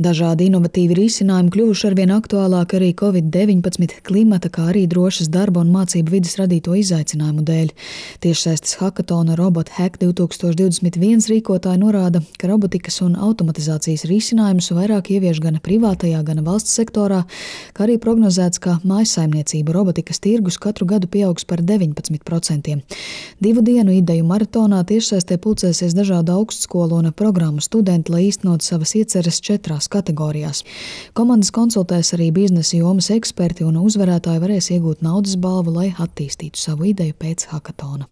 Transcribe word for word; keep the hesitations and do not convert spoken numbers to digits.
Dažādi inovatīvi risinājumi kļuvuši arvien aktuālāki arī covid deviņpadsmit, klimata, kā arī drošas darba un mācību vides radīto izaicinājumu dēļ. Tiešsaistes hakatona Robot Hack divtūkstoš divdesmit viens rīkotāji norāda, ka robotikas un automatizācijas risinājumus vairāk ievieš gan privātajā, gan valsts sektorā, kā arī prognozēts, ka mājsaimniecību robotikas tirgus katru gadu pieaugs par deviņpadsmit procentiem. Divu dienu ideju maratonā tiešsaistē pulcēsies dažādu augstskolu un programmu studenti, lai īstenot savas ieceres četrās kategorijās. Komandas konsultēs arī biznesa jomas eksperti un uzvarētāji varēs iegūt naudas balvu, lai attīstītu savu ideju pēc hakatona.